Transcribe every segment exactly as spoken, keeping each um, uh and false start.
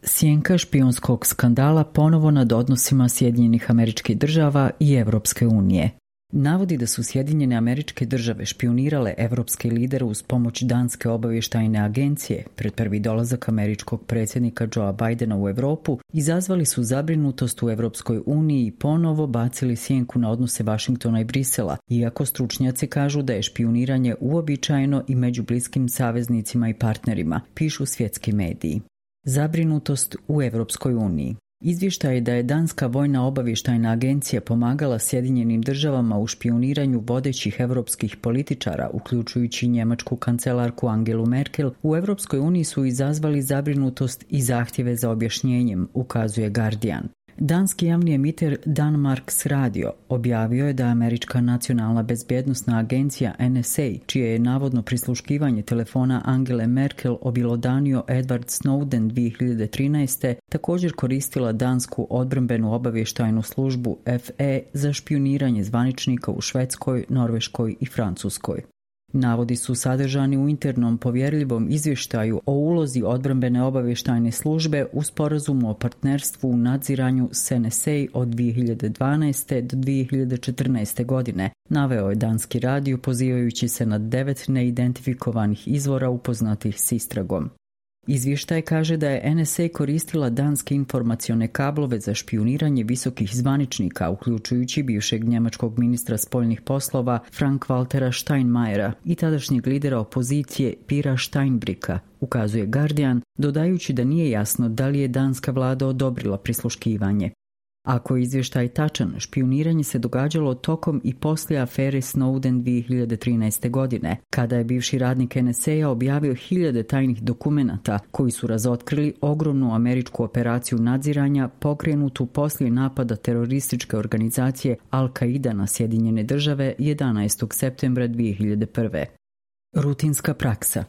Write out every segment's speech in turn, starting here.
Sjenka špijunskog skandala ponovo nad odnosima Sjedinjenih Američkih Država i Evropske unije. Navodi da su Sjedinjene Američke Države špijunirale evropske lidere uz pomoć danske obavještajne agencije pred prvi dolazak američkog predsjednika Joea Bidena u Europu izazvali su zabrinutost u Evropskoj uniji i ponovo bacili sjenku na odnose Vašingtona i Brisela, iako stručnjaci kažu da je špijuniranje uobičajeno i među bliskim saveznicima i partnerima, pišu svjetski mediji. Zabrinutost u Evropskoj uniji. Izvještaj je da je danska vojna obavještajna agencija pomagala Sjedinjenim državama u špijuniranju vodećih europskih političara, uključujući njemačku kancelarku Angelu Merkel, u Evropskoj uniji su izazvali zabrinutost i zahtjeve za objašnjenjem, ukazuje Guardian. Danski javni emiter Danmarks Radio objavio je da američka nacionalna bezbjednosna agencija N S A, čije je navodno prisluškivanje telefona Angele Merkel obilodanio Edward Snowden dvije hiljade trinaeste. također koristila dansku odbrambenu obavještajnu službu F E za špijuniranje zvaničnika u Švedskoj, Norveškoj i Francuskoj. Navodi su sadržani u internom povjerljivom izvještaju o ulozi odbrambene obavještajne službe u sporazumu o partnerstvu u nadziranju s N S A od dvije hiljade dvanaeste. do dvije hiljade četrnaeste. godine, naveo je danski radio pozivajući se na devet neidentifikovanih izvora upoznatih s istragom. Izvještaj kaže da je N S A koristila danske informacione kablove za špijuniranje visokih zvaničnika, uključujući bivšeg njemačkog ministra spoljnih poslova Frank-Waltera Steinmeiera i tadašnjeg lidera opozicije Pira Steinbrücka, ukazuje Guardian, dodajući da nije jasno da li je danska vlada odobrila prisluškivanje. Ako je izvještaj tačan, špijuniranje se događalo tokom i poslije afere Snowden dvije hiljade trinaeste. godine, kada je bivši radnik N S A objavio hiljade tajnih dokumenata koji su razotkrili ogromnu američku operaciju nadziranja pokrenutu poslije napada terorističke organizacije Al-Qaida na Sjedinjene države jedanaestog septembra dvije hiljade prve. Rutinska praksa.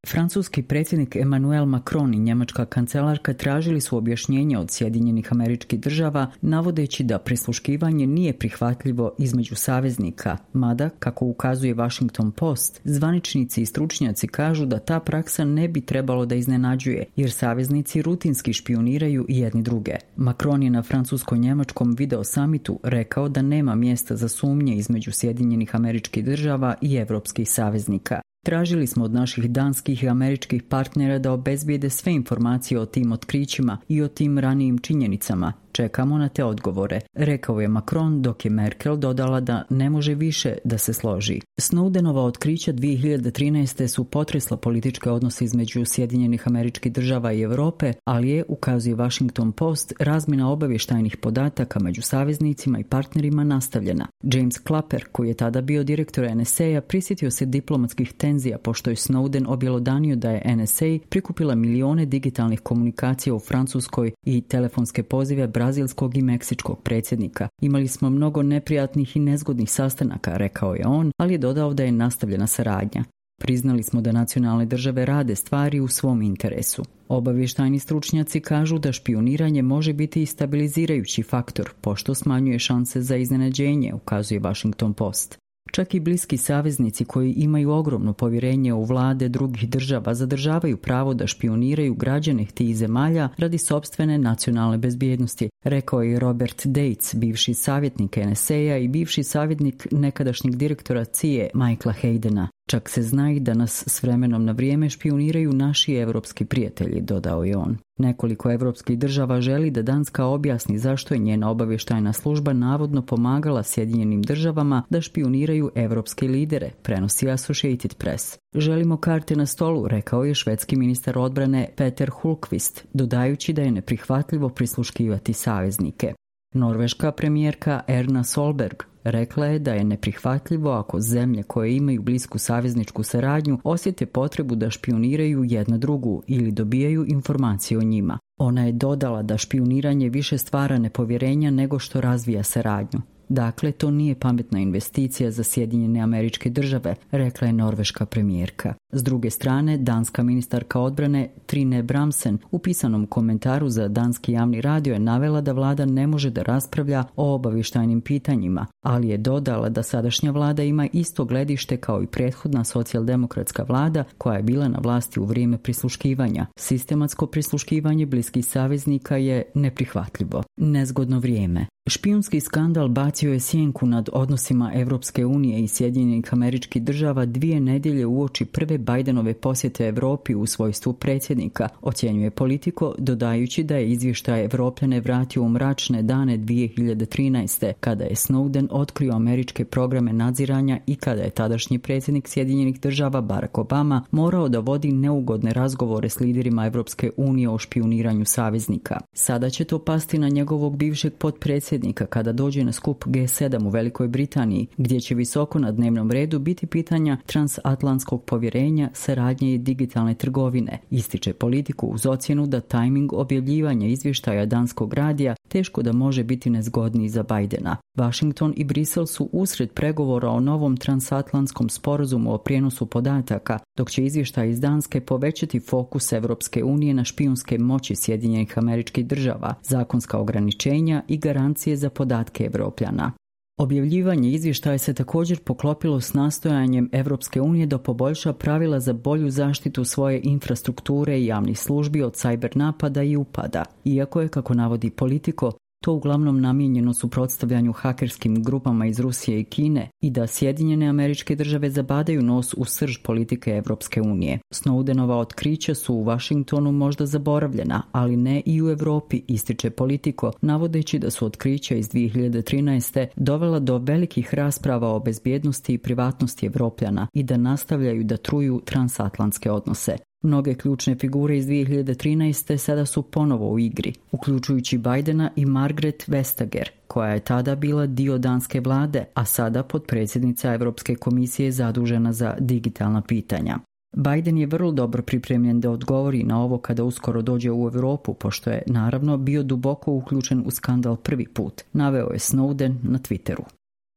Francuski predsjednik Emmanuel Macron i njemačka kancelarka tražili su objašnjenje od Sjedinjenih Američkih Država, navodeći da prisluškivanje nije prihvatljivo između saveznika, mada, kako ukazuje Washington Post, zvaničnici i stručnjaci kažu da ta praksa ne bi trebalo da iznenađuje, jer saveznici rutinski špijuniraju jedni druge. Macron je na francusko-njemačkom video samitu rekao da nema mjesta za sumnje između Sjedinjenih Američkih Država i evropskih saveznika. Tražili smo od naših danskih i američkih partnera da obezbijede sve informacije o tim otkrićima i o tim ranijim činjenicama. Čekamo na te odgovore, rekao je Macron, dok je Merkel dodala da ne može više da se složi. Snowdenova otkrića dvije hiljade trinaeste. su potresla političke odnose između Sjedinjenih Američkih Država i Europe, ali je, ukazuje Washington Post, razmjena obavještajnih podataka među saveznicima i partnerima nastavljena. James Clapper, koji je tada bio direktor N S A, prisjetio se diplomatskih tenzija pošto je Snowden objelodanio da je N S A prikupila milione digitalnih komunikacija u Francuskoj i telefonske pozive brazilskog i meksičkog predsjednika. Imali smo mnogo neprijatnih i nezgodnih sastanaka, rekao je on, ali je dodao da je nastavljena saradnja. Priznali smo da nacionalne države rade stvari u svom interesu. Obavještajni stručnjaci kažu da špijuniranje može biti i stabilizirajući faktor, pošto smanjuje šanse za iznenađenje, ukazuje Washington Post. Čak i bliski saveznici koji imaju ogromno povjerenje u vlade drugih država zadržavaju pravo da špijuniraju građane tih zemalja radi sopstvene nacionalne bezbjednosti, rekao je Robert Dates, bivši savjetnik N S A i bivši savjetnik nekadašnjeg direktora C I A Michaela Haydena. Čak se zna i da nas s vremenom na vrijeme špijuniraju naši evropski prijatelji, dodao je on. Nekoliko evropskih država želi da Danska objasni zašto je njena obavještajna služba navodno pomagala Sjedinjenim državama da špijuniraju evropske lidere, prenosi Associated Press. Želimo karte na stolu, rekao je švedski ministar odbrane Peter Hultqvist, dodajući da je neprihvatljivo prisluškivati saveznike. Norveška premijerka Erna Solberg rekla je da je neprihvatljivo ako zemlje koje imaju blisku savezničku saradnju osjete potrebu da špijuniraju jedna drugu ili dobijaju informacije o njima. Ona je dodala da špijuniranje više stvara nepovjerenja nego što razvija saradnju. Dakle, to nije pametna investicija za Sjedinjene Američke Države, rekla je norveška premijerka. S druge strane, danska ministarka odbrane Trine Bramsen u pisanom komentaru za danski javni radio je navela da vlada ne može da raspravlja o obavještajnim pitanjima, ali je dodala da sadašnja vlada ima isto gledište kao i prethodna socijaldemokratska vlada koja je bila na vlasti u vrijeme prisluškivanja. Sistematsko prisluškivanje bliskih saveznika je neprihvatljivo. Nezgodno vrijeme. Špijunski skandal bacio je sjenku nad odnosima Evropske unije i Sjedinjenih Američkih Država dvije nedjelje uoči prve Bidenove posjete Europi u svojstvu predsjednika, ocjenjuje Politico, dodajući da je izvještaj Evropljane vratio u mračne dane dvije hiljade trinaeste. kada je Snowden otkrio američke programe nadziranja i kada je tadašnji predsjednik Sjedinjenih Država Barack Obama morao da vodi neugodne razgovore s liderima Evropske unije o špijuniranju saveznika. Sada će to pasti na njegovog bivšeg potpredsjednika kada dođe na skup G sedam u Velikoj Britaniji, gdje će visoko na dnevnom redu biti pitanja transatlantskog povjerenja, saradnje i digitalne trgovine. Ističe Politiku uz ocjenu da tajming objavljivanja izvještaja danskog radija teško da može biti nezgodniji za Bidena. Washington i Brisel su usred pregovora o novom transatlantskom sporazumu o prijenosu podataka, dok će izvještaj iz Danske povećati fokus Evropske unije na špijunske moći Sjedinjenih Američkih Država, zakonska ograničenja i garancije za podatke Evropljana. Objavljivanje izvještaja se također poklopilo s nastojanjem Evropske unije da poboljša pravila za bolju zaštitu svoje infrastrukture i javnih službi od cyber napada i upada, iako je, kako navodi Politico, to uglavnom namijenjeno suprotstavljanju hakerskim grupama iz Rusije i Kine i da Sjedinjene Američke Države zabadaju nos u srž politike Evropske unije. Snowdenova otkrića su u Washingtonu možda zaboravljena, ali ne i u Europi, ističe Politico, navodeći da su otkrića iz dvije hiljade trinaeste dovela do velikih rasprava o bezbjednosti i privatnosti Evropljana i da nastavljaju da truju transatlantske odnose. Mnoge ključne figure iz dvije hiljade trinaeste sada su ponovo u igri, uključujući Bidena i Margaret Vestager, koja je tada bila dio danske vlade, a sada potpredsjednica Europske komisije zadužena za digitalna pitanja. Biden je vrlo dobro pripremljen da odgovori na ovo kada uskoro dođe u Europu, pošto je, naravno, bio duboko uključen u skandal prvi put, naveo je Snowden na Twitteru.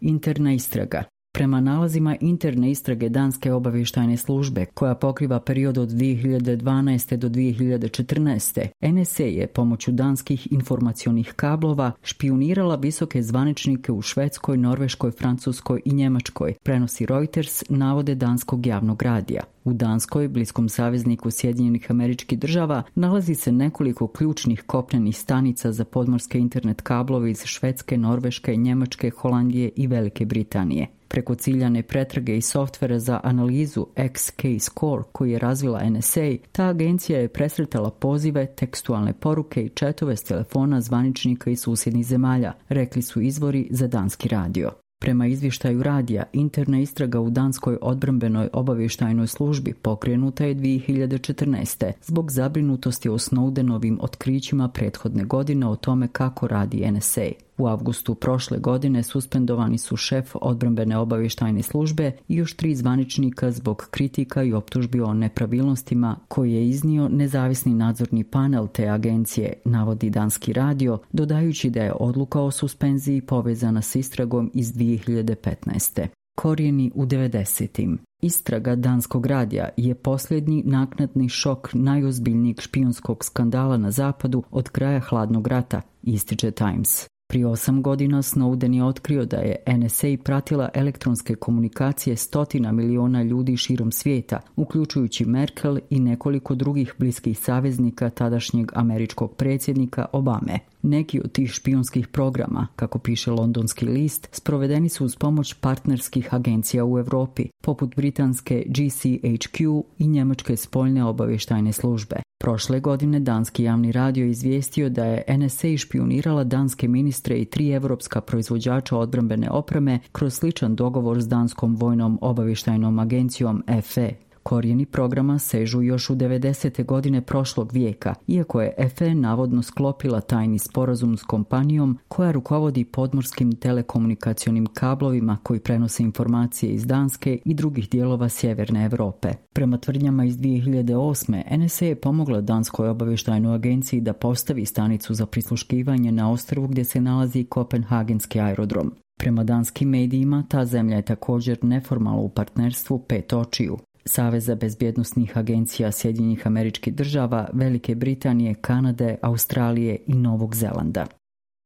Interna istraga. Prema nalazima interne istrage danske obavještajne službe, koja pokriva period od dvije hiljade dvanaeste do dvije hiljade četrnaeste, N S A je pomoću danskih informacionih kablova špijunirala visoke zvaničnike u Švedskoj, Norveškoj, Francuskoj i Njemačkoj, prenosi Reuters, navode danskog javnog radija. U Danskoj, bliskom savezniku Sjedinjenih Američkih Država, nalazi se nekoliko ključnih kopnenih stanica za podmorske internet kablove iz Švedske, Norveške, Njemačke, Holandije i Velike Britanije. Preko ciljane pretrage i softvera za analizu X K Score koji je razvila N S A, ta agencija je presretala pozive, tekstualne poruke i četove s telefona zvaničnika iz susjednih zemalja, rekli su izvori za danski radio. Prema izvještaju radija, interna istraga u danskoj odbrambenoj obavještajnoj službi pokrenuta je dvije hiljade četrnaeste zbog zabrinutosti o Snowdenovim otkrićima prethodne godine o tome kako radi N S A. U avgustu prošle godine suspendovani su šef odbrambene obavještajne službe i još tri zvaničnika zbog kritika i optužbi o nepravilnostima koje je iznio nezavisni nadzorni panel te agencije, navodi danski radio, dodajući da je odluka o suspenziji povezana s istragom iz dvije hiljade petnaeste. Korijeni u devedesetim. Istraga danskog radija je posljednji naknadni šok najozbiljnijeg špijunskog skandala na zapadu od kraja hladnog rata, ističe Times. Prije osam godina Snowden je otkrio da je N S A pratila elektronske komunikacije stotina miliona ljudi širom svijeta, uključujući Merkel i nekoliko drugih bliskih saveznika tadašnjeg američkog predsjednika Obame. Neki od tih špijunskih programa, kako piše londonski list, sprovedeni su uz pomoć partnerskih agencija u Europi, poput britanske G C H Q i njemačke spoljne obavještajne službe. Prošle godine danski javni radio izvijestio da je N S A špijunirala danske ministre i tri evropska proizvođača odbrambene opreme kroz sličan dogovor s danskom vojnom obavještajnom agencijom F E. Korijeni programa sežu još u devedesete godine prošlog vijeka, iako je F E navodno sklopila tajni sporazum s kompanijom koja rukovodi podmorskim telekomunikacionim kablovima koji prenose informacije iz Danske i drugih dijelova sjeverne Europe. Prema tvrdnjama iz dvije hiljade osme. N S A je pomogla danskoj obavještajnoj agenciji da postavi stanicu za prisluškivanje na ostrvu gdje se nalazi Kopenhagenski aerodrom. Prema danskim medijima, ta zemlja je također neformalno u partnerstvu Pet očiju, Saveza bezbjednosnih agencija Sjedinjenih Američkih Država, Velike Britanije, Kanade, Australije i Novog Zelanda.